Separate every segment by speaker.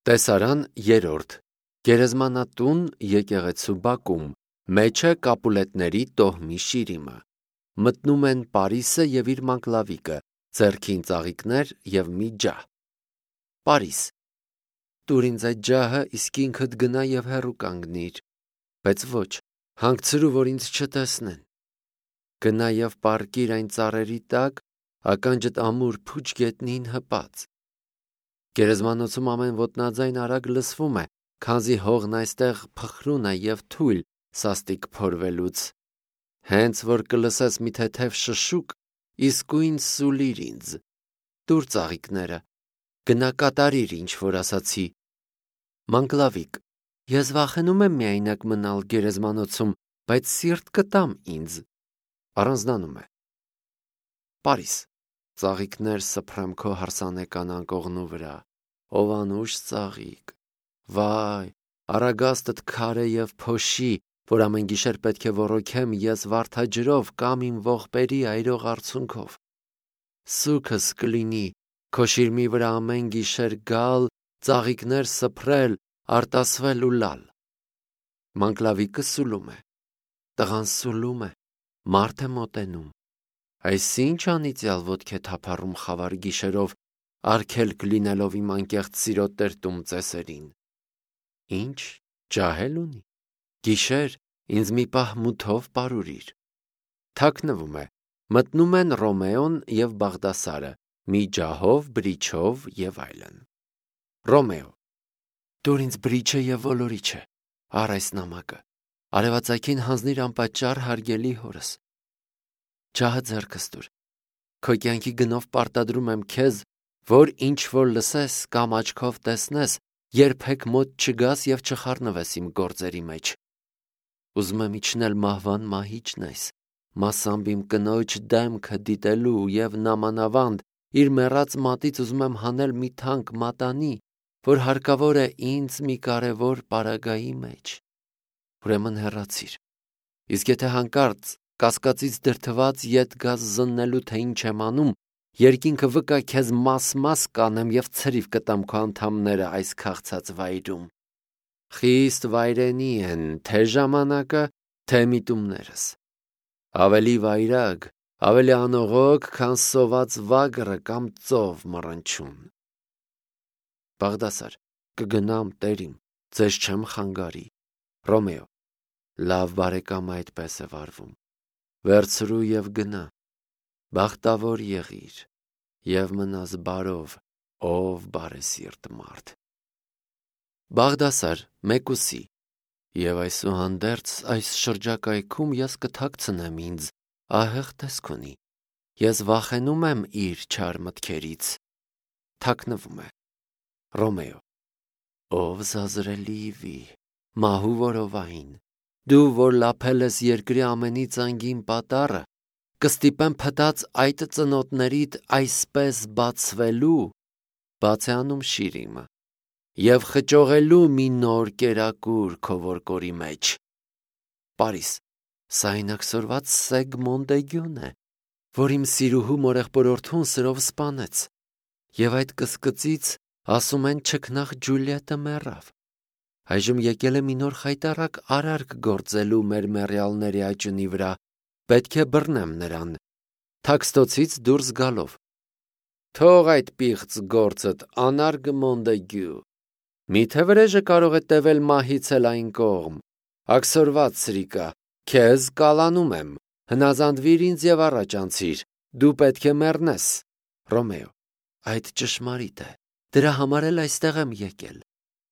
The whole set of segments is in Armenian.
Speaker 1: Տեսարան երրորդ Գերեզմանատուն եկեղեցու բակում մեջը կապուլետների տոհմի շիրիմը մտնում են Պարիսը և իր մանկլավիկը, ձեռքին ծաղիկներ և մի ջահ։ Պարիս. տուր ինձ այդ ջահը, իսկ ինքդ գնա և հեռու կանգնիր, բայց ոչ, հանգցրու, որ ինձ չտեսնեն։ Գնա և պառկիր այն ծառերի տակ, ականջդ ամուր փուչ գետնին հպած։ Գերեզմանոցում ամեն ոտնաձայն արագ լսվում է, քանզի հողն այստեղ փխրուն է և թույլ սաստիկ փորվելուց։ Հենց որ կլսես մի թեթև շշուկ, իսկույն սուլիր ինձ։ Տուր ծաղիկները, գնա կատարիր, ինչ որ ասացի։ Մանկլավիկ. ես վախենում եմ միայնակ մնալ գերեզմանոցում, բայց սիրտ կտամ ինձ։ Առանձնանում է։ Պարիս. ծաղիկներ սփռեմ քո հարսանեկան անկողնու վրա, ով անուշ ծաղիկ։ Վայ, առագաստդ քարե և փոշի, որ ամեն գիշեր պետք է ոռոգեմ ես վարդաջրով կամ իմ ողբերի այրող արցունքով։ Սուգս կլինի քո շիրմի վրա ամեն գիշեր գալ, ծաղիկներ սփռել, արտասվել ու լալ։ Մանկլավիկը սուլում է։ Տղան սուլում է, մարդ է մոտենում։ Այս ինչ անիծյալ ոտք է թափառում խավար գիշերով, արգելք լինելով իմ անկեղծ սիրո տերտում ծեսերին։ Ինչ, ջահել ունի։ Գիշեր, ինձ մի պահ մութով պարուրիր։ Թաքնվում է, մտնում են Ռոմեոն և Բաղդասարը, մի ջահով, բրիչով և այլն։ Ռոմեո. տուր ինձ բրիչը և ոլորիչը, առ այս նամակը, արևածագին հանձնիր անպատճառ հարգելի հորս։ Ջահը ձեռքս տուր, քո կյանքի գնով պարտադրում եմ քեզ, որ ինչ որ լսես կամ աչքով տեսնես, երբեք մոտ չգաս և չխառնվես իմ գործերի մեջ։ Ուզում եմ իջնել մահվան մահիճն այս, մասամբ իմ կնոջ դեմքը դիտելու և նամանավանդ իր մեռած մատից ուզում եմ հանել մի թանկ մատանի, որ հարկավոր է ինձ մի կարևոր պարագայի մեջ։ Ուրեմն հեռացիր, իսկ եթե հանկարծ կասկածից դրդված ետ գաս զննելու, թե ինչ եմ անում, երկինքը վկա քեզ մաս-մաս կանեմ և ցրիվ կտամ քո անդամները այս քաղցած վայրում։ Խիստ վայրենի են թե ժամանակը, թե միտումներս։ Ավելի վայրագ, ավելի անողոք, քան սոված վագրը կամ ծով մռնչուն։ Բաղդասար. կգնամ, տերիմ, ձեզ չեմ խանգարի։ Ռոմեո. լավ բարեկամը այդպես է վարվում։ Վերցրու և գնա։ Բախտավոր եղիր և մնաս բարով, ով բարեսիրտ մարդ։ Բաղդասար 1:8 Եվ այսուհանդերձ այս շրջակայքում ես կթաքցնեմ ինձ, ահեղ տեսք ունի, ես վախենում եմ իր չար մտքերից։ Թաքնվում է։ Ռոմեո. ով զազրելի վի, մահու որովային, դու որ լափել ես երկրի ամենից անգին պատառը, կստիպեմ փտած այդ ծնոտներիդ այսպես բացվելու, բաց է անում շիրիմը, և խճողելու մի նոր կերակուր քո որկորի մեջ։ Պարիս. սա այնաքսորված Սեգ Մոնտեգյուն է, որ իմ սիրուհու մորեղբորորդուն սրով սպանեց, և այդ կսկծից ասում են չքնաղ Ջուլիետը մեռավ։ Այժմ եկել է մի նոր խայտառակ արարք գործելու մեր մեռյալների աճյունի վրա, պետք է բռնեմ նրան, թաքստոցից դուրս գալով։ Թող այդ պիղծ գործդ, անարգ Մոնտեգյու, միթե վրեժը կարող է տևել մահից էլ այն կողմ։ Աքսորված սրիկա, քեզ կալանում եմ, հնազանդվիր ինձ և առաջ անցիր, դու պետք է մեռնես։ Ռոմեո. այդ ճշմարիտ է, դրա համար էլ այստեղ եմ եկել։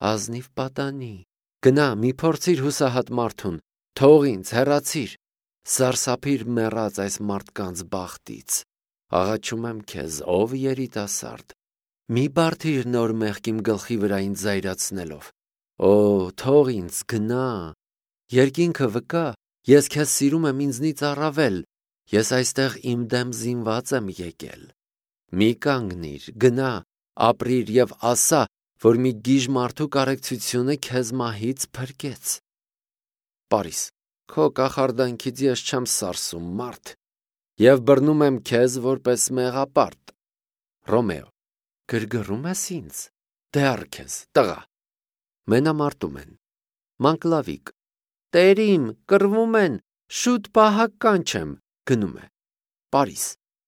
Speaker 1: Ազնիվ պատանի, գնա, մի փորձիր հուսահատ մարդուն, թող ինձ, հեռացիր, սարսափիր մեռած այս մարդկանց բախտից։ Աղաչում եմ քեզ, ով երիտասարդ, մի բարդիր նոր մեղք իմ գլխի վրա ինձ զայրացնելով։ Օ, թող ինձ, գնա, երկինքը վկա, ես քեզ սիրում եմ ինձնից առավել, ես այստեղ իմ դեմ զինված եմ եկել։ Մի կանգնիր, գնա, ապրիր և ասա, որ մի գիժ մարդու կարեկցությունը քեզ մահից փրկեց։ Պարիս. քո կախարդանքից ես չեմ սարսում, մարդ, և բռնում եմ քեզ որպես մեղապարտ։ Ռոմեո. գրգռում ես ինձ, դեռ քեզ, տղա։ Մենամարտում են։ Մանկլավիկ. Տերիմ, կռվում են, շուտ պահակ կանչեմ, գնում է։ Պարիս.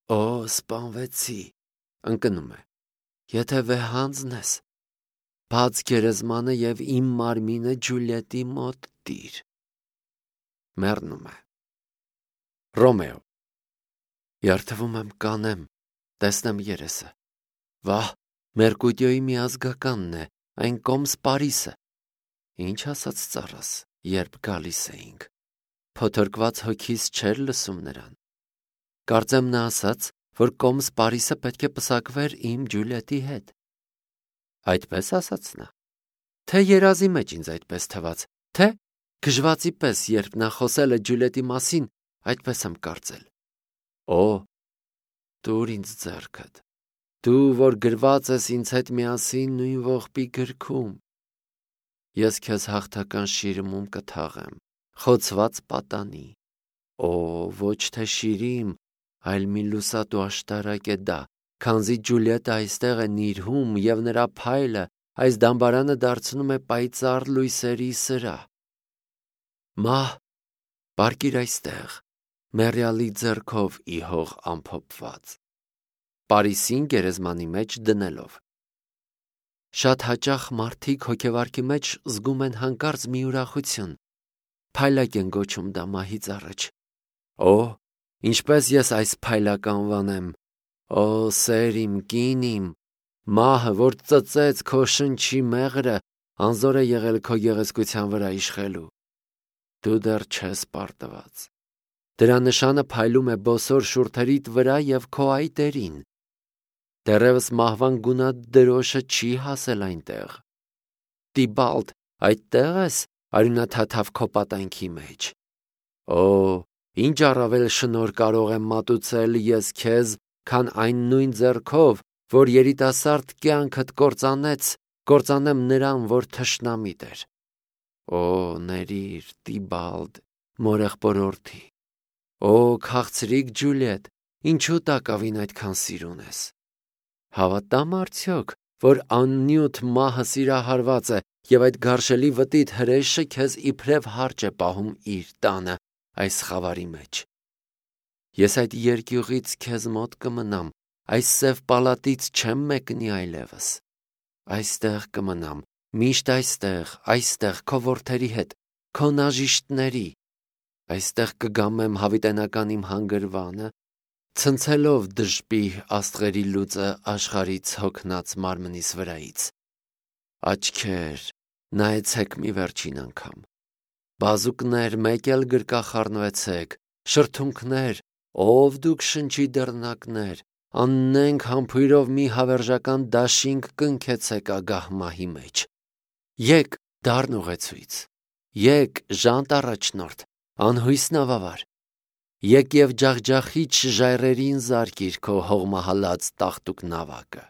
Speaker 1: Օ, սպանվեցի, ընկնում է։ Եթե վեհանձն ես, բաց գերեզմանը և իմ մարմինը Ջուլիետի մոտ տիր։ Մեռնում է։ Ռոմեո. Երդվում եմ կանեմ, տեսնեմ երեսը։ Վահ, Մերկուտիոյի միազգականն է, այն կոմս Պարիսը։ Ինչ ասաց ծառաս, երբ գալիս էինք։ Փոթորկված հոգիս չէր լսում նրան։ Կարծեմ նա ասաց, որ կոմս Պարիսը պետք է պսակվեր իմ Ջուլիետի հետ։ Այդպես ասաց նա։ Թե երազի մեջ ինձ այդպես թվաց, թե գժվացի պես, երբ նա խոսել է Ջուլիետի մասին, այդպես եմ կարծել։ Օ, տուր ինձ ձեռքդ, դու, որ գրված ես ինձ հետ միասին նույն ողբի գրքում։ Ես քեզ հաղթական շիրիմում կթաղեմ, խոցված պատանի։ Օ, ոչ թե շիրիմ, այլ մի լուսատու աշտարակ է դա, քանզի Ջուլիետը այստեղ է նիրհում և նրա փայլը այս դամբարանը դարձնում է պայծառ լույսերի սրահ։ Մահ, պառկիր այստեղ, մեռյալի ձեռքով ի հող ամփոփված։ Պարիսին գերեզմանի մեջ դնելով։ Շատ հաճախ մարդիկ հոգևարքի մեջ զգում են հանկարծ մի ուրախություն, փայլակ են գոչում դա մահից առաջ։ Օ, ինչպես ես այս փայլակ անվանեմ, օ, սեր իմ, կին իմ, մահը, որ ծծեց քո շնչի մեղրը, անզոր է եղել քո գեղեցկության վրա իշխելու։ Դու դեռ չես պարտված։ Դրա նշանը փայլում է բոսոր շուրթերիդ վրա և քո այտերին։ Դեռևս մահվան գունատ դրոշը չի հասել այնտեղ։ Տիբալդ, այդտեղ ես, արյունաթաթավ քո պատանքի մեջ։ Օ, ինչ առավել շնորհ կարող եմ մատուցել ես քեզ, քան այն նույն ձեռքով, որ երիտասարդ կյանքդ կործանեմ նրան, որ թշնամիտ էր։ Օ, ներիր, Տիբալդ, մորեղբորորդի։ Օ, քաղցրիկ Ջուլիետ, ինչու տակավին այդքան սիրուն ես։ Հավատամ արդյոք, որ աննյութ մահը սիրահարված է և այդ գարշելի վտիտ հրեշը քեզ իբրև հարճ է պահում իր տանը այս խավարի մեջ։ Ես այդ երկյուղից քեզ մոտ կմնամ, այս սև պալատից չեմ մեկնի այլևս։ Այստեղ կմնամ, միշտ այստեղ քո որդերի հետ, քո նաժիշտների։ Այստեղ կգամեմ հավիտենական իմ հանգրվանը, ցնցելով դժպի աստղերի լուծը աշխարհից հոգնած մարմնիս վրայից։ Աչքեր, նայեցեք մի վերջին անգամ։ Բազուկներ, մեկ էլ գրկախառնվեցեք, շրթունքներ, ով դուք շնչի դռնակներ, աննենք համբույրով մի հավերժական դաշինք կնքեցեք ագահ մահի մեջ։ Եկ դառն ուղեցույց, եկ ժանտ առաջնորդ, անհույս նավավար, եկ և ջախջախիչ ժայռերին զարկիր քո հողմահալած տաղտուկ նավակը։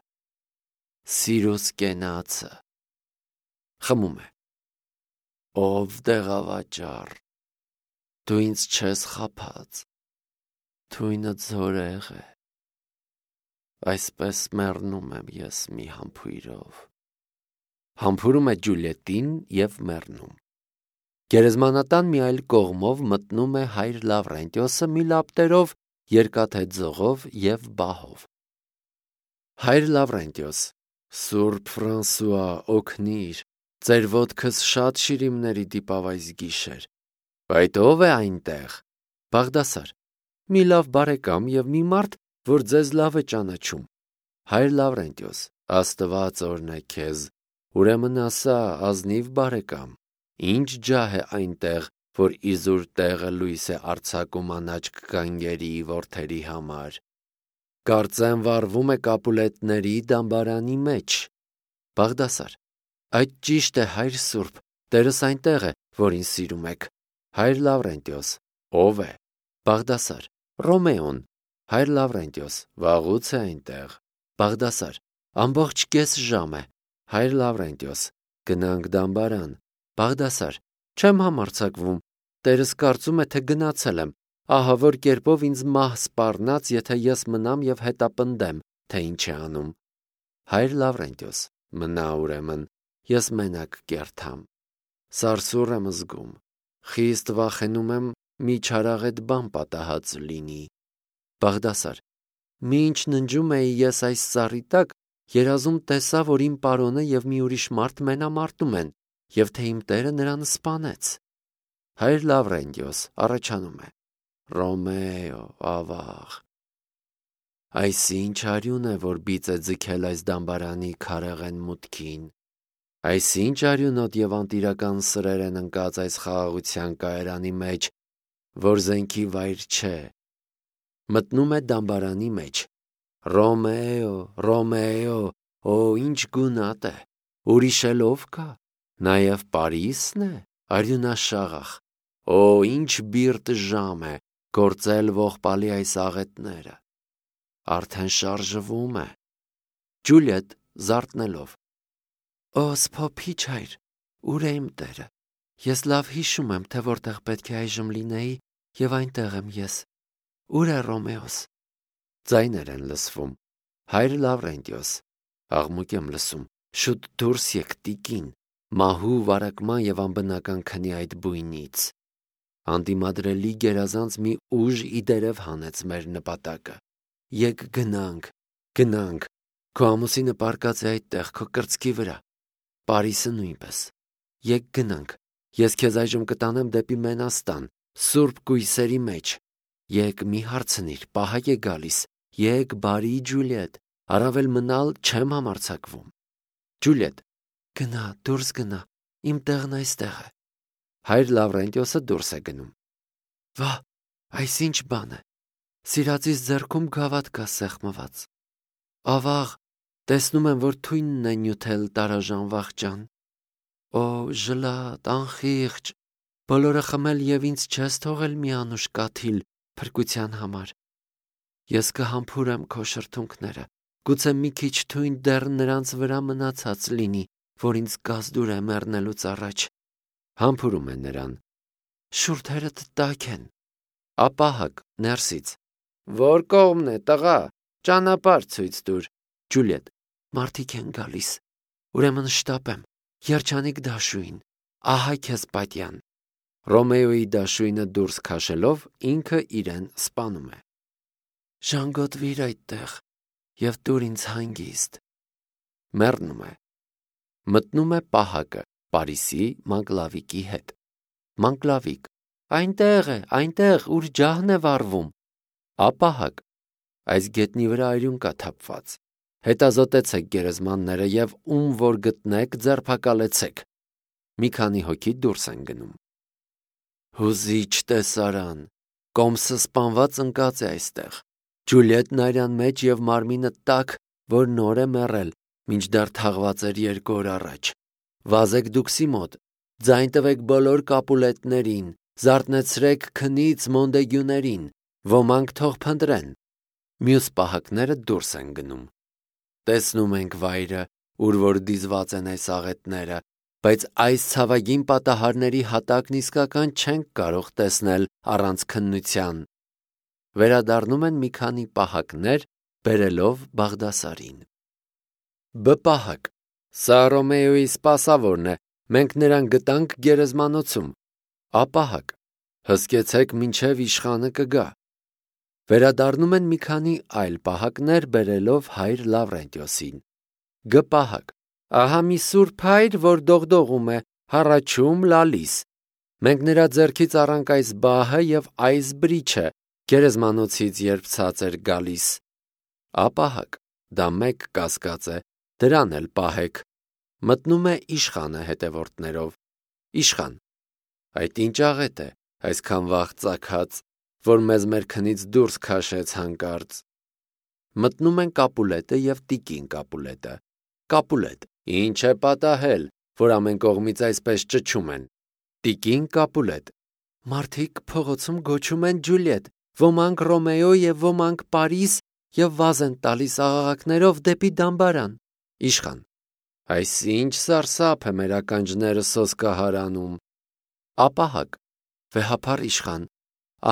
Speaker 1: Սիրուս կենացը խմում է։ Ով դեղավաճառ, դու ինձ չես խաբած, թույնդ զորեղ է։ Այսպես մեռնում եմ ես մի համբույրով։ Համբուրում է Ջուլիետին և մեռնում։ Գերեզմանատան մի այլ կողմով մտնում է հայր Լավրենտիոսը մի լապտերով, երկաթե ձողով և բահով։ Հայր Լավրենտիոս, Սուրբ Ֆրանսուଆ, օգնիր, ձեր ոտքս շատ շիրիմների դիպավ այս գիշեր։ Բայց ով է այնտեղ։ Բաղդասար. մի լավ բարեկամ և մի մարդ, որ ձեզ լավ է ճանաչում։ Հայր Լավրենտիոս. Աստված օրհնե քեզ։ Ուրեմն ասա, ազնիվ բարեկամ, ինչ ջահ է այնտեղ, որ իզուր տեղը լույս է արձակում անաչք գանգերի որդերի համար։ Կարծեմ վառվում է Կապուլետների դամբարանի մեջ։ Բաղդասար. այդ ճիշտ է, հայր Սուրբ, Տերս այնտեղ է, որ ինձ սիրում եք։ Հայր Լավրենտիոս. ով է։ Բաղդասար. Ռոմեոն։ Հայր Լավրենտիոս. վաղուց է այնտեղ։ Բաղդասար. ամբողջ կես ժամ է։ Հայր Լավրենտիոս. գնանք դամբարան։ Բաղդասար. չեմ համարձակվում, Տերս կարծում է, թե գնացել եմ, ահա որ կերպով ինձ մահ սպառնաց, եթե ես մնամ և հետապնդեմ, թե ինչ է անում։ Հայր Լավրենտիոս. Մնա ուրեմն, ես մենակ կերթամ։ Սարսուռ եմ զգում, խիստ վախենում եմ մի չարաղետ բան պատահած լինի։ Բաղդասար, մինչ ննջում էի ես այս ծառի տակ, երազում տեսա, որ իմ պարոնը և մի ուրիշ մարդ մենամարտում են, և թե իմ տերը նրան սպանեց։ Հայր Լավրենտիոս առաջանում է. Ռոմեո, ավաղ։ Այս ինչ արյուն է, որ բիծ է ձգել այս դամբարանի քարեղեն մուտքին։ Այս ինչ արյունոտ և անտիրական սրեր են ընկած այս խաղաղության կայարանի մեջ, որ զենքի վայր չէ։ Մտնում է դամբարանի մեջ։ Ռոմեո, Ռոմեո, օ, ինչ գունատ է, ուրիշ էլ ով կա, նաև Պարիսն է, արյունաշաղախ, օ, ինչ բիրտ ժամ է, գործել ողբալի այս աղետները, արդեն շարժվում է։ Ջուլիետ զարթնելով. Օ, սփոփիչ հայր, ուր է իմ տերը, ես լավ հիշում եմ, թե որտեղ պետք է այժմ լինեի, և այնտեղ եմ ես, ուր է Ռոմեոս։ Ձայներ են լսվում. Հայր Լավրենտիոս, աղմուկ եմ լսում, շուտ դուրս եկ տիկին, մահու վարակման և անբնական քնի այդ բույնից։ Անդիմադրելի գերազանց մի ուժ իդերև հանեց մեր նպատակը։ Եկ գնանք, գնանք, քո ամուսինը պառկած է այդտեղ, քո կրծքի վրա, Պարիսը նույնպես։ Եկ գնանք, ես քեզ այժմ կտանեմ դեպի Մենաստան, սուրբ կույսերի մեջ։ Եկ մի հարցնիր, պահակ է գալիս, եկ բարի Ջուլիետ, առավել մնալ չեմ համարձակվում։ Ջուլիետ, գնա, դուրս գնա, իմ տեղն այստեղ է։ Հայր Լավրենտիոսը դուրս է գնում։ Վա, այս ինչ բան է։ Սիրածիս ձեռքում գավաթ կա սեղմված։ Ավաղ, տեսնում եմ, որ թույնն է նյութել տարաժան վախճան։ Օ, ժլատ, անխիղճ, բոլորը խմել և ինձ չես թողել մի անուշ կաթիլ փրկության համար։ Ես կհամբուրեմ քո շրթունքները, գուցե մի քիչ թույն դեռ նրանց վրա մնացած լինի, որ ինձ գազդուր է մեռնելուց առաջ։ Համբուրում է նրան։ Շուրթերդ տաք են։ Ապահակ, ներսից։ Որ կողմն է, տղա, ճանապարհ ցույց տուր։ Ջուլիետ, մարդիկ են գալիս։ Ուրեմն շտապեմ, երջանիկ դաշույն, ահա քեզ պատյան։ Ռոմեոյի դաշույնը դուրս քաշելով ինքը իրեն սպանում է։ Ժանգոտվիր այդտեղ և տուր ինձ հանգիստ։ Մեռնում է։ Մտնում է պահակը Պարիսի Մանկլավիկի հետ։ Մանկլավիկ. Այնտեղ է, այնտեղ, ուր ջահն է վառվում։ Ապահակ. այս գետնի վրա արյուն կա թափված։ Հետազոտեցեք գերեզմանները և ում որ գտնեք ձերբակալեցեք։ Մի քանի հոգի դուրս են գնում։ Հուզիչ տեսարան, կոմսը սպանված ընկած է այստեղ։ Ջուլիետն արյան մեջ և մարմինը տաք, որ նոր է մեռել, մինչդեռ թաղված էր 2 օր առաջ։ Վազեք դուքսի մոտ, ձայն տվեք բոլոր կապուլետներին, զարթնեցրեք քնից մոնդեգյուներին, ոմանք թող փնտրեն։ Մյուս պահակները դուրս են գնում։ Տեսնում ենք վայրը, ուր որ դիզված են այս աղետները, բայց այս ցավագին պատահարների հատակն իսկական չենք կարող տեսնել առանց քննության։ Վերադառնում են մի քանի պահակներ, բերելով Բաղդասարին։ Պահակ. Սա Ռոմեոյի սպասավորն է, մենք նրան գտանք գերեզմանոցում։ Ապահակ. հսկեցեք մինչև իշխանը կգա։ Վերադառնում են մի քանի այլ պահակներ, բերելով հայր Լավրենտիոսին։ Պահակ. ահա մի սուրբ հայր, որ դողդողում է, հառաչում լալիս։ Մենք նրա ձեռքից առանք այս բահը և այս բրիչը, գերեզմանոցից երբ ցած էր գալիս։ Ապահակ. դա մեկ կասկած է, դրան էլ պահեք։ Մտնում է իշխանը հետևորդներով։ Իշխան. այդ ինչ աղետ է, այսքան վաղ ծագած, որ մեզ մեր քնից դուրս քաշեց հանկարծ։ Մտնում են Կապուլետը և տիկին Կապուլետը։ Կապուլետ. ինչ է պատահել, որ ամեն կողմից այսպես ճչում են։ Տիկին Կապուլետ. մարդիկ փողոցում գոչում են Ջուլիետ, ոմանք Ռոմեո և ոմանք Պարիս և վազ են տալիս աղաղակներով դեպի դամբարան։ Իշխան. այս ինչ սարսափ է մեր ականջները սոսկահարանում։ Ապահակ. վեհափառ իշխան,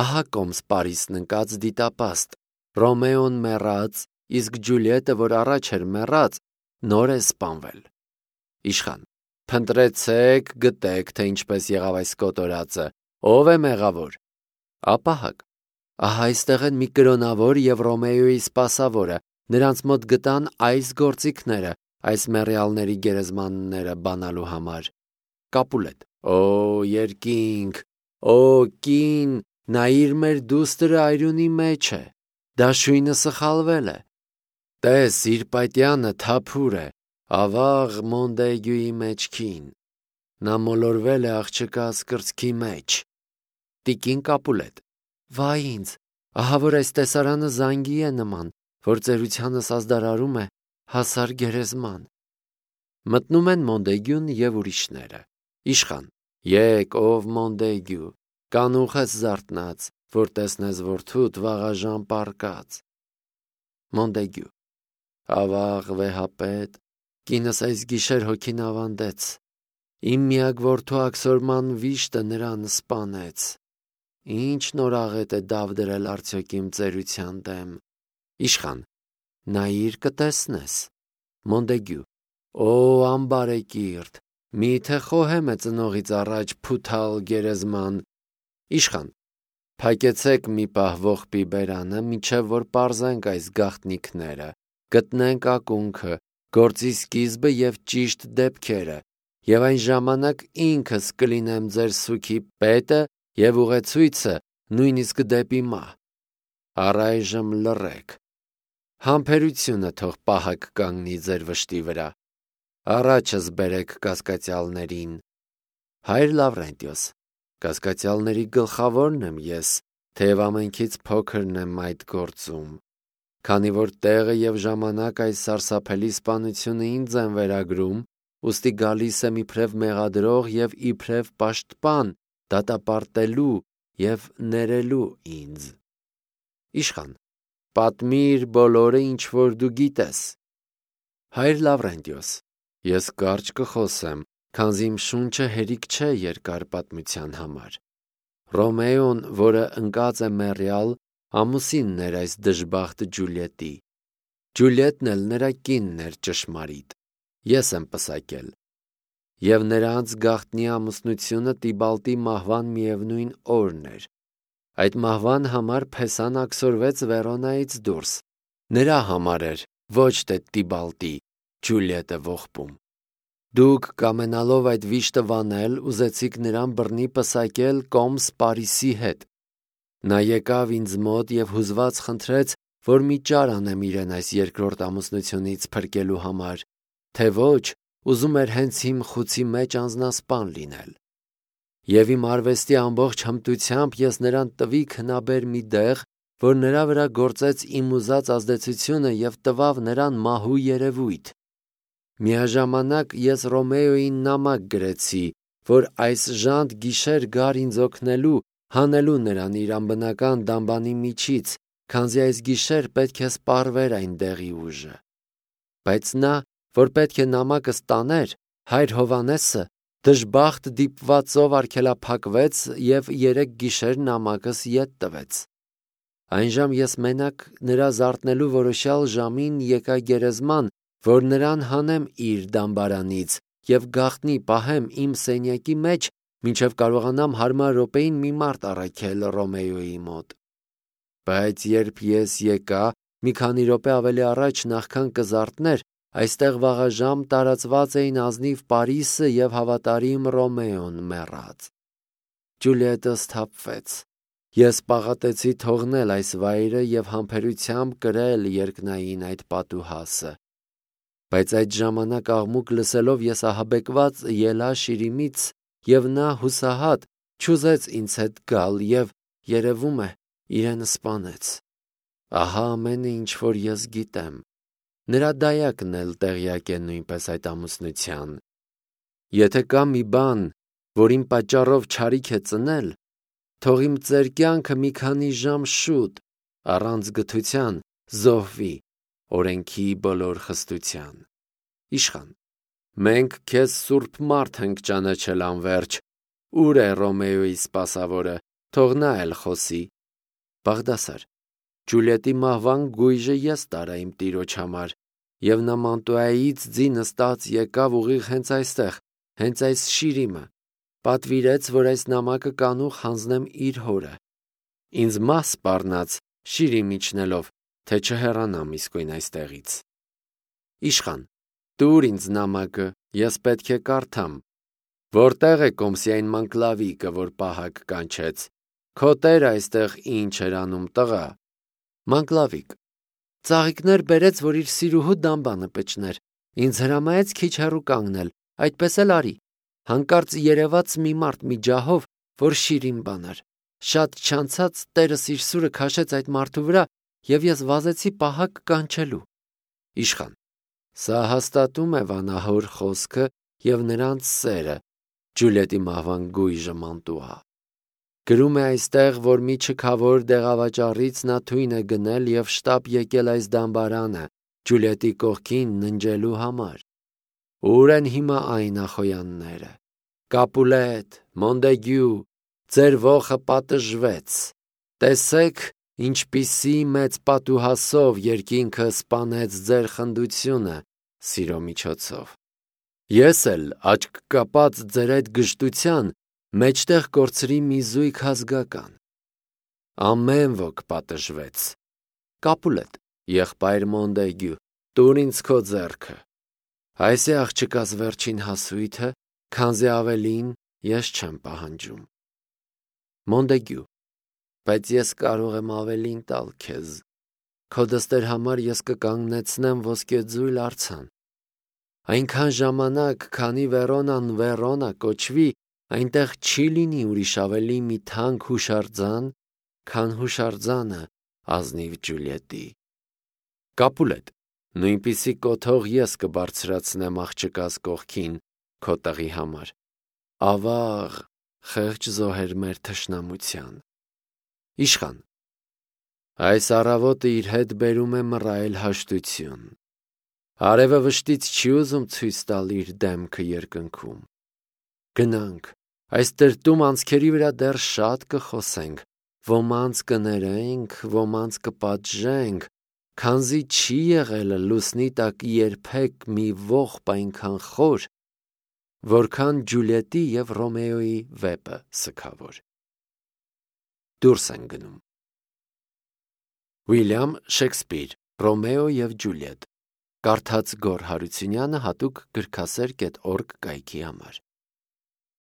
Speaker 1: ահա կոմս Պարիսն ընկած դիտապաստ, Ռոմեոն մեռած, իսկ Ջուլիետը, որ առաջ էր մեռած, նոր է սպանվել։ Իշխան. Փնտրեցեք, գտեք, թե ինչպես եղավ այս կոտորածը, ով է մեղավոր։ Ապահակ. Ահա այստեղ են մի կրոնավոր եւ Ռոմեոյի սպասավորը, նրանց մոտ գտան այս գործիքները, այս մեռյալների գերեզմանները բանալու համար։ Կապուլետ. Օ երկինք, օ կին, նայիր մեր դուստրը այրունի մեջ է, դաշույնը սխալվել է։ Տես, իր պատյանը թափուր է, ավաղ Մոնդեգյուի մեջքին։ Նա մոլորվել է աղջկաս կրծքի մեջ։ Տիկին Կապուլետ. Վայ ինձ, ահա որ այս տեսարանը զանգի է նման, որ ծերությանս ազդարարում է հասար գերեզման։ Մտնում են Մոնդեգյուն եւ ուրիշները։ Իշխան. Եկ, ով Մոնդեգյու, կանուխ ես զարթնած, որ տեսնես որդուդ վաղաժամ պառկած։ Մոնդեգյու. Ավաղ վեհապետ, կինս այս գիշեր հոգին ավանդեց։ Իմ միակ որդու աքսորման վիշտը նրան սպանեց։ Ինչ նոր աղետ է դավ դրել արդյոք իմ ծերության դեմ։ Իշխան. նայիր կտեսնես։ Մոնդեգյու. Օ ամբարեկիրթ, միթե խոհեմ է ծնողից առաջ փութալ գերեզման։ Իշխան. փակեցեք մի պահ ողբի բերանը, մինչև որ պարզենք այս գաղտնիքները, գտնենք ակունքը, գործի սկիզբը եւ ճիշտ դեպքերը, եւ այն ժամանակ ինքս կլինեմ ձեր սուքի պետը եւ ուղեցույցը նույնիսկ դեպի մահ։ Առայժմ լռեք։ Համբերությունը թող պահակ կանգնի ձեր վշտի վրա։ Առաջս բերեք կասկածյալներին։ Հայր Լավրենտիոս, կասկածյալների գլխավորն եմ ես, թեև ամենքից փոքրն եմ այդ գործում։ Քանի որ տեղը եւ ժամանակ այս սարսափելի սպանությունը ինձ են վերագրում, ուստի գալիս եմ իբրև մեղադրող եւ իբրև պաշտպան, դատապարտելու եւ ներելու ինձ։ Իշխան. պատմիր բոլորը, ինչ որ դու գիտես։ Հայր Լավրենտիոս, ես կարճ կխոսեմ, քանզի իմ շունչը հերիք չէ երկար պատմության համար։ Ռոմեոն, որը ընկած է մեռյալ, ամուսինն էր այս դժբախտ Ջուլիետի։ Ջուլիետն էլ նրա կինն էր ճշմարիտ։ Ես եմ պսակել։ Եվ նրանց գաղտնի ամուսնությունը Տիբալտի մահվան միևնույն օրն էր։ Այդ մահվան համար Փեսան աքսորվեց Վերոնայից դուրս։ Նրա համար էր, ոչ թե Տիբալտի, Ջուլիետը ողբում։ Դուք կամենալով այդ վիշտը վանել, ուզեցիք նրան բռնի պսակել կոմս Պարիսի հետ։ Նա եկավ ինձ մոտ եւ հուզված խնդրեց, որ մի ճար անեմ իրեն այս երկրորդ ամուսնությունից փրկելու համար, թե ոչ, ուզում էր հենց իմ խուցի մեջ անձնասպան լինել։ Եվ իմ արվեստի ամբողջ հմտությամբ ես նրան տվի քնաբեր մի դեղ, որ նրա վրա գործեց իմ ուզած ազդեցությունը եւ տվավ նրան մահու երևույթ։ Միաժամանակ ես Ռոմեոյին նամակ գրեցի, որ այս ժանտ գիշեր գար ինձ օգնելու, հանելու նրան իր անբնական դամբանի միջից, քանզի այս գիշեր պետք է սպառվեր այն դեղի ուժը։ Բայց նա, որ պետք է նամակը ստաներ, հայր Հովանեսը, դժբախտ դիպվածով արգելափակվեց եւ 3 գիշեր նամակս ետ տվեց։ Այնժամ ես մենակ նրա զարթնելու որոշյալ ժամին եկա գերեզման, որ նրան հանեմ իր դամբարանից եւ գաղտնի պահեմ իմ սենյակի մեջ, մինչև կարողանամ հարմար րոպեին մի մարդ առաքել Ռոմեոյի մոտ։ Բայց երբ ես եկա, մի քանի րոպե ավելի առաջ նախքան կզարթներ, այստեղ վաղաժամ տարածված էին ազնիվ Պարիսը եւ հավատարիմ Ռոմեոն մեռած։ Ջուլիետը սթափվեց։ Ես պաղատեցի թողնել այս վայրը եւ համբերությամբ կրել երկնային այդ պատուհասը։ Բայց այդ ժամանակ աղմուկ լսելով ես ահաբեկված ելա շիրիմից եւ նա հուսահատ չուզեց ինձ հետ գալ եւ երևում է իրեն սպանեց։ Ահա ամենը ինչ որ ես գիտեմ։ Նրա դայակն էլ տեղյակ է նույնպես այդ ամուսնության։ Եթե կա մի բան, որ իմ պատճառով չարիք է ծնել, թող իմ ծեր կյանքը մի քանի ժամ շուտ, առանց գթության, զոհվի օրենքի բոլոր խստության։ Իշխան. մենք քեզ սուրբ մարդ ենք ճանաչել անվերջ։ Ուր է Ռոմեոյի սպասավորը, թող նա էլ խոսի։ Բաղդասար. Ջուլիետի մահվան գույժը ես տարա իմ տիրոջ համար, եւ նա Մանտուայից ձի նստած եկավ ուղիղ հենց այստեղ, հենց այս շիրիմը, պատվիրեց, որ այս նամակը կանուխ հանձնեմ իր հորը։ Ինձ մաս սպառնաց շիրիմ իջնելով, թե չհեռանամ իսկույն այստեղից։ Իշխան, տուր ինձ նամակը, ես պետք է կարդամ։ Որտեղ է Կոմսիայն Մանկլավիկը, որ պահակ կանչեց։ Քո տերը այստեղ ինչ էր անում, տղա։ Մանկլավիկ. ծաղիկներ բերեց, որ իր սիրուհու դամբանը պճներ։ Ինձ հրամայեց քիչ հեռու կանգնել, այդպես էլ արի։ Հանկարծ երևաց մի մարդ մի ջահով, որ շիրիմ բանար։ Շատ չանցած տերս իր սուրը քաշեց այդ մարդու վրա, եւ ես վազեցի պահակ կանչելու։ Իշխան. սա հաստատում է վանահոր խոսքը եւ նրանց սերը, Ջուլիետի մահվան գույժը Մանտուա։ Գրում է այստեղ, որ մի չքավոր դեղավաճառից նա թույն է գնել եւ շտապ եկել այս դամբարանը Ջուլիետի կողքին ննջելու համար։ Ուր են հիմա այն ախոյանները։ Կապուլետ, Մոնդեգյու, ձեր ոխը պատժվեց։ Տեսեք, ինչպիսի մեծ պատուհասով երկինքը սպանեց ձեր խնդությունը սիրո միջոցով։ Ես էլ աչք կապած ձեր այդ գժտության մեջտեղ կորցրի մի զույգ ազգական։ Ամեն ոք պատժվեց։ Կապուլետ, եղբայր Մոնդեգյու, տուր ինձ քո ձեռքը։ Այս է աղջկաս վերջին հասույթը, քանզի ավելին ես չեմ պահանջում։ Մոնդեգյու, բայց ես կարող եմ ավելին տալ քեզ։ Քո դստեր համար ես կկանգնեցնեմ ոսկեձույլ արձան։ Այնքան ժամանակ, քանի Վերոնան Վերոնա կոչվի, այնտեղ չի լինի ուրիշ ավելի մի թանկ հուշարձան, քան հուշարձանը ազնիվ Ջուլիետի։ Կապուլետ, նույնպիսի կոթող ես կբարձրացնեմ աղջկաս կողքին քո տղի համար։ Ավաղ, խեղճ զոհեր մեր թշնամության։ Իշխան. այս առավոտը իր հետ բերում է մռայլ հաշտություն։ Արևը վշտից չի ուզում ցույց տալ իր դեմքը երկնքում։ Գնանք, այս տրտում անցքերի վրա դեռ շատ կխոսենք, ոմանց կներենք, ոմանց կպատժենք, քանզի չի եղել լուսնի տակ երբեք մի ողբ այնքան խոր, որքան Ջուլիետի եւ Ռոմեոյի վեպը սգավոր։ Դուրս են գնում։ Ուիլյամ Շեքսպիր, Ռոմեո եւ Ջուլիետ։ Կարդաց Գոռ Հարությունյանը հատուկ գրքասեր.org կայքի համար։